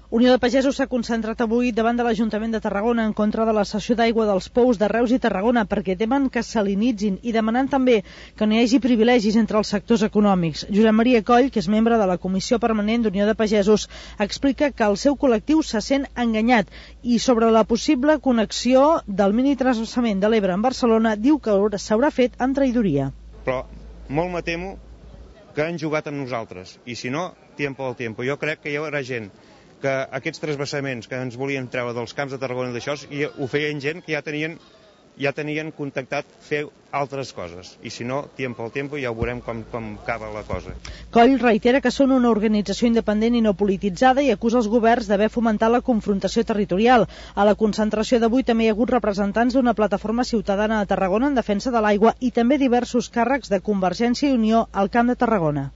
Unió de Pagesos s'ha concentrat avui davant de l'Ajuntament de Tarragona en contra de la cessió d'aigua dels pous de Reus i Tarragona perquè temen que salinitzin i demanant també que no hi hagi privilegis entre els sectors econòmics. Josep Maria Coll, que és membre de la Comissió Permanent d'Unió de Pagesos, explica que el seu col·lectiu se sent enganyat i sobre la possible connexió del mini-transvasament de l'Ebre en Barcelona diu que s'haurà fet amb traïdoria. Però molt me temo que han jugat amb nosaltres i si no, tiempo al tiempo. Jo crec que hi haurà gent que aquests transvasaments que ens volien treure dels camps de Tarragona d'això ho feien gent que ja tenien contactat fer altres coses i si no, tiempo al tiempo, ja ho veurem com acaba la cosa. Coll reitera que són una organització independent i no polititzada i acusa els governs d'haver fomentat la confrontació territorial. A la concentració d'avui també hi ha hagut representants d'una plataforma ciutadana de Tarragona en defensa de l'aigua i també diversos càrrecs de Convergència i Unió al Camp de Tarragona.